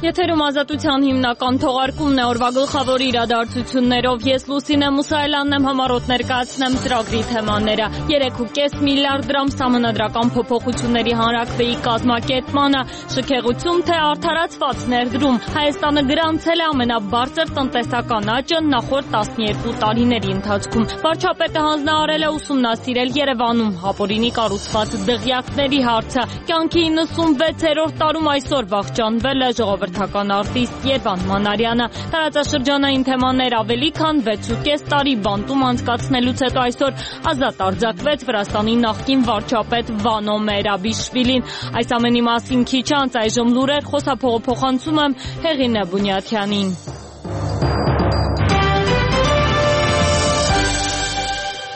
Եթերում ազատության հիմնական թողարկումն է, օրվա գլխավոր իրադարձություններով ես Լուսինե Մուսայելյանն եմ, համառոտ ներկայացնեմ ծրագրի թեմաները։ 3.5 միլիարդ դրամ սահմանադրական փոփոխությունների հանրաքվեի կազմակերպմանը, շքեղություն թե արդարացված ներդրում։ Հայաստանը գրանցել է ամենաբարձր տնտեսական աճը նախորդ 12 տարիների ընթացքում։ Վարչապետը հանձնարարել է ուսումնասիրել Երևանում ապօրինի կառուցված դղյակների հարցը։ Կյանքի 96-րդ տարում այսօր վախճանվել է ժողովրդական արտիստ Երվան Մանարյանը։ Տարածաշրջանային թեմաներ ավելի քան 6.5 տարի բանտում անցկացնելուց հետո այսօր ազատ արձակվեց Վրաստանի նախկին վարչապետ Վանո Մերաբիշվիլին։ Այս ամենի մասին քիչ անց այժմ լուրեր, խոսափողը փոխանցում եմ Հեղինե Բունյաթյանին։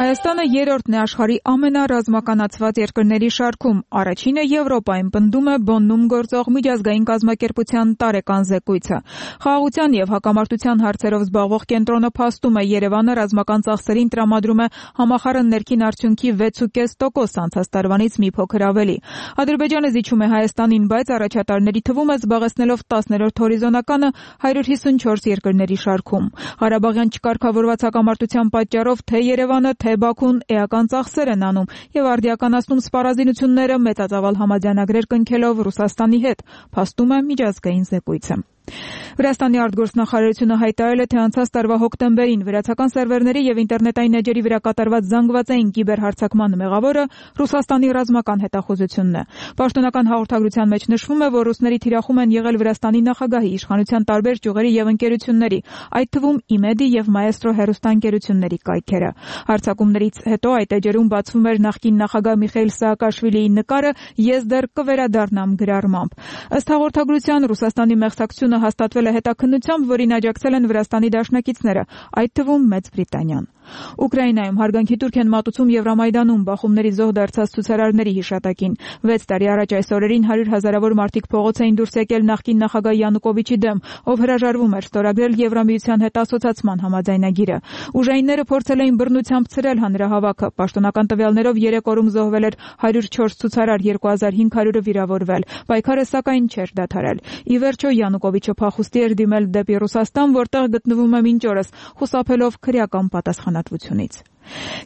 Հայաստանը երրորդն է աշխարհի ամենառազմականացված երկրների շարքում։ Առաջինը Եվրոպայում պնդում է Բոննում գործող միջազգային կազմակերպության տարեկան զեկույցը։ Խաղաղության եւ հակամարտության հարցերով զբաղվող կենտրոնը փաստում է, Երևանը ռազմական ծախսերին տրամադրում է համախառն ներքին արդյունքի 6.5%, անցած տարվանից մի փոքր ավելի։ Ադրբեջանը զիջում է Հայաստանին, բայց առաջատարների թվում է զբաղեցնելով 10-րդ հորիզոնականը 154 երկրների շարքում։ Ղարաբաղյան չկարգավորված հակամարտության պատճառով թե Երևանը, թե Բաքուն էական ծախսեր են անում եւ արդիականացնում սպառազինությունները մեծածավալ համաձայնագրեր կնքելով Ռուսաստանի հետ, փաստում է միջազգային զեկույցը։ Վրաստանի արտգործնախարարությունը հայտարարել է, թե անցած տարվա հոկտեմբերին վրացական սերվերների եւ ինտերնետային էջերի վրա կատարված զանգվածային կիբերհարձակման մեղավորը Ռուսաստանի ռազմական հետախուզությունն է։ Պաշտոնական հաղորդագրության մեջ նշվում է, որ ռուսների թիրախում են եղել Վրաստանի նախագահի, իշխանության տարբեր ճյուղերի եւ ընկերությունների, այդ թվում ԻՄԵԴ-ի եւ Մայեստրո հեռուստաընկերությունների կայքերը։ Հարձակումներից հետո այդ էջերում բացվում էր նախկին նախագահ Միխայիլ Սաակաշվիլիի նկարը «Ես դեռ կվերադառնամ» գրառմամբ։ Ըստ հաղորդագրության Ռուսաստանի մեղսակցությունը հաստատվել է հետաքննությամբ, որին աջակցել են Վրաստանի դաշնակիցները, այդ թվում Մեծ Բրիտանիան։ Ուկրաինայում հարգանքի տուրք են մատուցում Եվրամայդանում բախումների զոհ դարձած ցուցարարների հիշատակին։ 6 տարի առաջ այս օրերին 100 հազարավոր մարդիկ փողոց էին դուրս եկել նախկին նախագահ Յանուկովիչի դեմ, ով հրաժարվում էր ստորագրել Եվրամիության հետ ասոցացման համաձայնագիրը։ Ուժայինները փորձել էին բռնությամբ ցրել հանրահավաքը։ Պաշտոնական տվյալներով 3 օրում զոհվել էր 104 ցուցարար, 2500-ը վիրավորվել։ Պայքարը սակայն չէր դադարել։ Ի վերջո Յանուկովիչը փախուստի էր դիմել դեպի Ռուսաստան, որտեղ գտնվում է մինչ օրս, խուսափելով քրեական պատասխանատվությունից։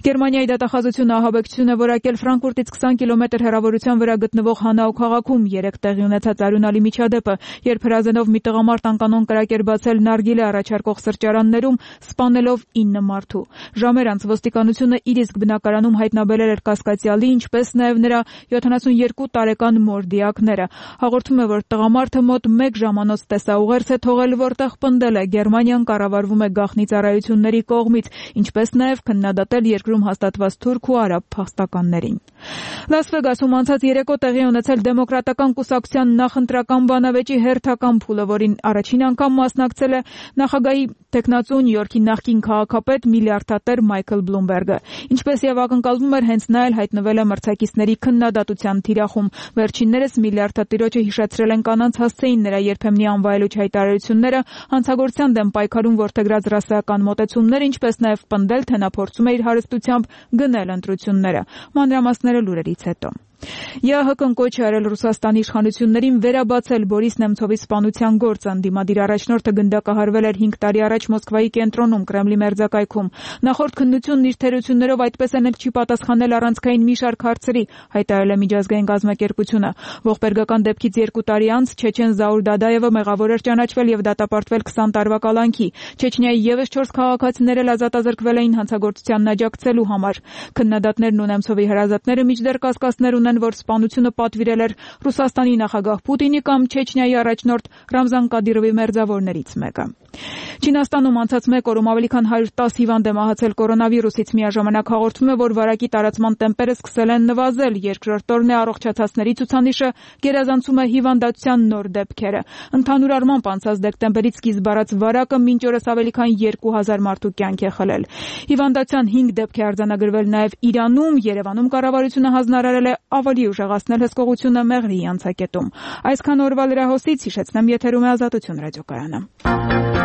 Գերմանիայի դատախազությունը ահաբեկչություն է որակել Ֆրանկֆուրտից 20 կիլոմետր հեռավորության վրա գտնվող Հանաու քաղաքում 3 տեղի ունեցած արյունալի միջադեպը, երբ հրազենով մի տղամարդ անկանոն կրակ էր բացել նարգիլե առաջարկող սրճարաններում, սպանելով 9 մարդու։ Ժամեր անց ոստիկանությունը իր իսկ բնակարանում հայտնաբերել էր կասկածյալի, ինչպես նաև նրա 72 տարեկան մոր դիակները։ Հաղորդում է, որ տղամարդը մոտ 1 ժամանոց տեսաուղերձ է թողել, որտեղ պնդել է Գերմանիան կառավարվում է գաղտնի ծառայությունների կողմից, ինչպես նաև քննադատել երկրում հաստատված թուրք ու արաբ փախստականներին։ Լաս Վեգասում անցած երեկո տեղի ունեցել դեմոկրատական կուսակցության նախընտրական բանավեճի հերթական փուլը, որին առաջին անգամ մասնակցել է նախագահի տեխնացու Նյու Յորքի նախկին քաղաքապետ միլիարդատեր Մայքլ Բլումբերգը։ Ինչպես եւ ակնկալվում էր, հենց նա էլ հայտնվել է մրցակիցների քննադատության թիրախում։ Վերջիններս միլիարդատիրոջը հիշեցրել են կանանց հասցեին նրա երբեմնի անվայելուչ հայտարարությունները, հանցագործության դեմ պայքարում որդեգրած ռասայական մոտեցումներ, ինչպես նաև պնդել, թե նա փորձում է իր հարստությամբ գնել ընտրությունները։ Մանրամասները լուրերից հետո։ ԵԱՀԿ-ն կոչ է արել Ռուսաստանի իշխանություններին վերաբացել Բորիս Նեմցովի սպանության գործը։ Ընդդիմադիր առաջնորդը գնդակահարվել էր 5 տարի առաջ Մոսկվայի կենտրոնում, Կրեմլի մերձակայքում։ Նախորդ քննությունն իր թերություններով այդպես էլ չի պատասխանել առանցքային մի շարք հարցերի, հայտարարել է միջազգային կազմակերպությունը։ Ողբերգական դեպքից 2 տարի անց Չեչեն Զաուր Դադաևը մեղավոր էր ճանաչվել եւ դատապարտվել 20 տարվա կալանքի։ Չեչնիայի եւս 4 քաղաքացիներ էլ ազատազրկվել էին հանցագործությանն աջակցելու համար։ Քննադատներն ու Նեմցովի հրազատները մինչդեռ կասկածներ ունեն, որ սպանությունը պատվիրել էր Ռուսաստանի նախագահ Պուտինի կամ Չեչնիայի առաջնորդ Ռամզան Կադիրովի մերձավորներից մեկը։ Չինաստանում անցած 1 օրում ավելի քան 110 հիվանդ է մահացել կորոնավիրուսից։ Միաժամանակ հաղորդվում է, որ վարակի տարածման տեմպերը սկսել են նվազել։ Երկրորդ օրն է առողջացածների ցուցանիշը գերազանցում է հիվանդացության նոր դեպքերը։ Ընդհանուր առմամբ անցած դեկտեմբերից սկիզբ առած վարակը մինչ օրս ավելի քան 2000 մարդու կյանք է խլել։ Հիվանդացության 5 դեպք է արձանագրվել նաև Իրանում։ Երևանում կառավարությունը հանձնարարել է ավելի ուժեղացնել հսկողությունը Մեղրիի անցակետում։ Այսքան օրվա լրահոսից հիշեցնեմ, եթերում է Ազատություն ռադիոկայանը։